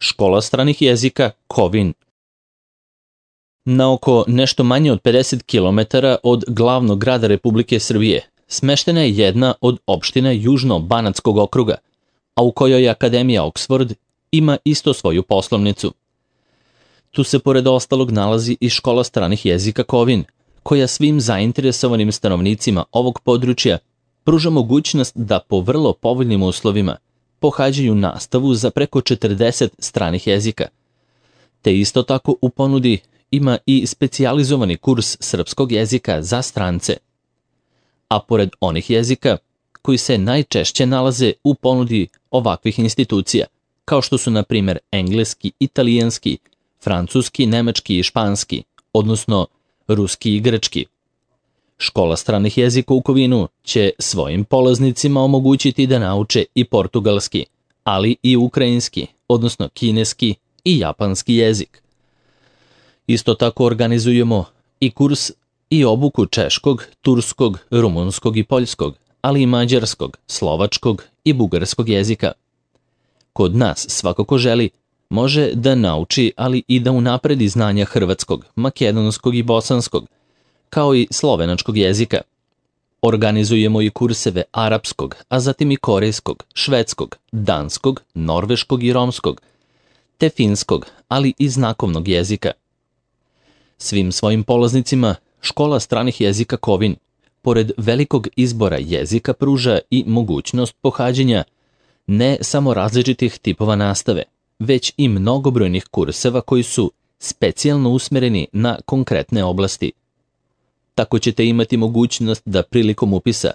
Škola stranih jezika Kovin. Na oko nešto manje od 50 km od glavnog grada Republike Srbije smeštena je jedna od opština Južno-Banatskog okruga, a u kojoj Akademija Oxford ima isto svoju poslovnicu. Tu se pored ostalog nalazi i Škola stranih jezika Kovin, koja svim zainteresovanim stanovnicima ovog područja pruža mogućnost da po vrlo povoljnim uslovima pohađaju nastavu za preko 40 stranih jezika. Te isto tako u ponudi ima i specijalizovani kurs srpskog jezika za strance. A pored onih jezika koji se najčešće nalaze u ponudi ovakvih institucija, kao što su na primjer engleski, italijanski, francuski, nemački i španski, odnosno ruski i grčki. Škola stranih jezika u Kovinu će svojim polaznicima omogućiti da nauče i portugalski, ali i ukrajinski, odnosno kineski i japanski jezik. Isto tako organizujemo i kurs i obuku češkog, turskog, rumunskog i poljskog, ali i mađarskog, slovačkog i bugarskog jezika. Kod nas svako ko želi može da nauči, ali i da unapredi znanja hrvatskog, makedonskog i bosanskog, kao i slovenačkog jezika. Organizujemo i kurseve arapskog, a zatim i korejskog, švedskog, danskog, norveškog i romskog, te finskog, ali i znakovnog jezika. Svim svojim polaznicima Škola stranih jezika Kovin, pored velikog izbora jezika, pruža i mogućnost pohađanja ne samo različitih tipova nastave, već i mnogobrojnih kurseva koji su specijalno usmereni na konkretne oblasti. Tako ćete imati mogućnost da prilikom upisa,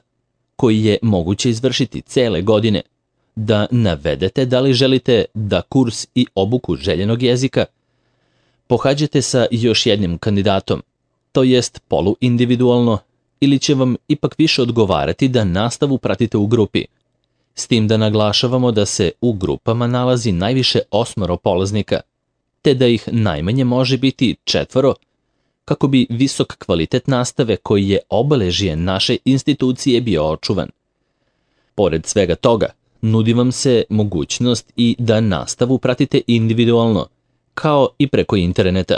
koji je moguće izvršiti cele godine, da navedete da li želite da kurs i obuku željenog jezika pohađate sa još jednim kandidatom, to jest poluindividualno, ili će vam ipak više odgovarati da nastavu pratite u grupi, s tim da naglašavamo da se u grupama nalazi najviše 8 polaznika, te da ih najmanje može biti 4, kako bi visok kvalitet nastave koji je obeležje naše institucije bio očuvan. Pored svega toga, nudi vam se mogućnost i da nastavu pratite individualno, kao i preko interneta.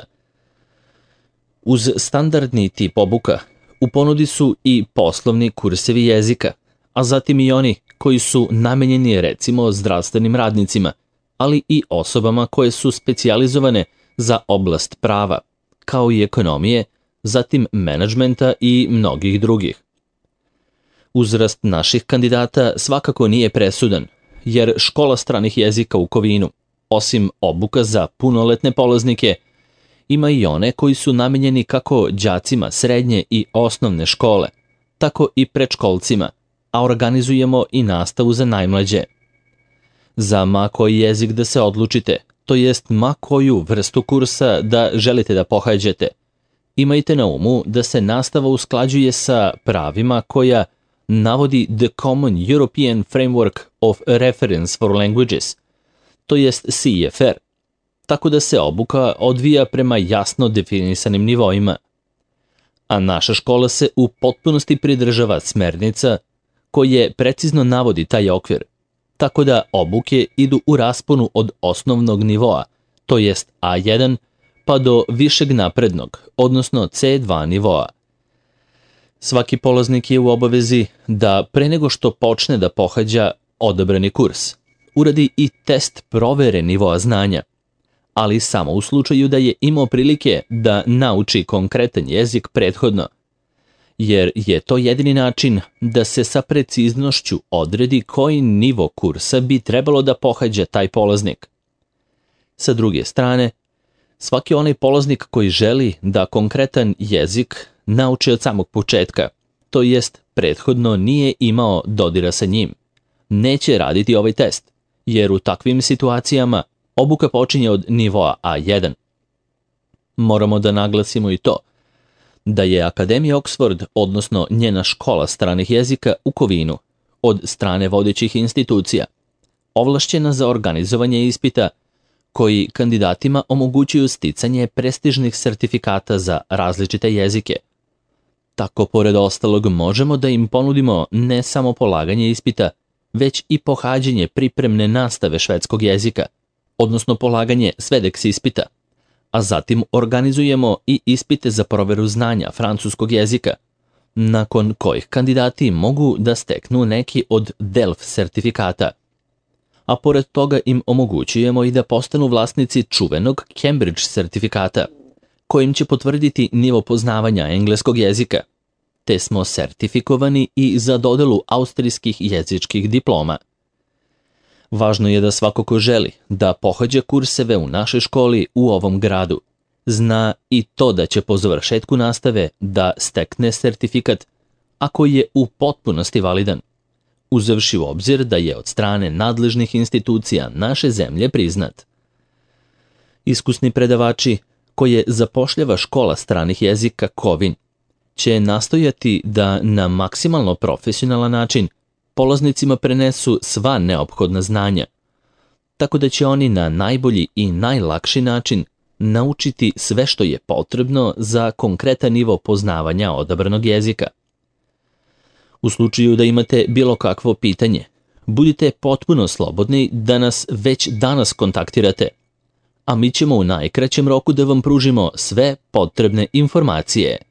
Uz standardni tip obuka, u ponudi su i poslovni kursevi jezika, a zatim i oni koji su namenjeni recimo zdravstvenim radnicima, ali i osobama koje su specijalizovane za oblast prava, kao i ekonomije, zatim menadžmenta i mnogih drugih. Uzrast naših kandidata svakako nije presudan, jer Škola stranih jezika u Kovinu, osim obuka za punoletne polaznike, ima i one koji su namenjeni kako đacima srednje i osnovne škole, tako i predškolcima, a organizujemo i nastavu za najmlađe. Za ma koji jezik da se odlučite, to jest ma koju vrstu kursa da želite da pohađate, imajte na umu da se nastava usklađuje sa pravima koja navodi The Common European Framework of Reference for Languages, to jest CEFR, tako da se obuka odvija prema jasno definisanim nivoima. A naša škola se u potpunosti pridržava smernica koje precizno navodi taj okvir, tako da obuke idu u rasponu od osnovnog nivoa, to jest A1, pa do višeg naprednog, odnosno C2 nivoa. Svaki polaznik je u obavezi da pre nego što počne da pohađa odabrani kurs, uradi i test provere nivoa znanja, ali samo u slučaju da je imao prilike da nauči konkretan jezik prethodno, jer je to jedini način da se sa preciznošću odredi koji nivo kursa bi trebalo da pohađa taj polaznik. Sa druge strane, svaki onaj polaznik koji želi da konkretan jezik nauči od samog početka, to jest prethodno nije imao dodira sa njim, neće raditi ovaj test, jer u takvim situacijama obuka počinje od nivoa A1. Moramo da naglasimo i to da je Akademija Oxford, odnosno njena škola stranih jezika u Kovinu, od strane vodećih institucija, ovlašćena za organizovanje ispita koji kandidatima omogućuju sticanje prestižnih sertifikata za različite jezike. Tako, pored ostalog, možemo da im ponudimo ne samo polaganje ispita, već i pohađanje pripremne nastave švedskog jezika, odnosno polaganje SVEDEX ispita, a zatim organizujemo i ispite za proveru znanja francuskog jezika, nakon kojih kandidati mogu da steknu neki od DELF sertifikata. A pored toga im omogućujemo i da postanu vlasnici čuvenog Cambridge sertifikata, kojim će potvrditi nivo poznavanja engleskog jezika, te smo sertifikovani i za dodelu austrijskih jezičkih diploma. Važno je da svako ko želi da pohađa kurseve u našoj školi u ovom gradu, zna i to da će po završetku nastave da stekne sertifikat, a koji je u potpunosti validan, uzevši u obzir da je od strane nadležnih institucija naše zemlje priznat. Iskusni predavači koje zapošljava škola stranih jezika Kovin će nastojati da na maksimalno profesionalan način polaznicima prenesu sva neophodna znanja, tako da će oni na najbolji i najlakši način naučiti sve što je potrebno za konkretan nivo poznavanja odabranog jezika. U slučaju da imate bilo kakvo pitanje, budite potpuno slobodni da nas već danas kontaktirate, a mi ćemo u najkraćem roku da vam pružimo sve potrebne informacije.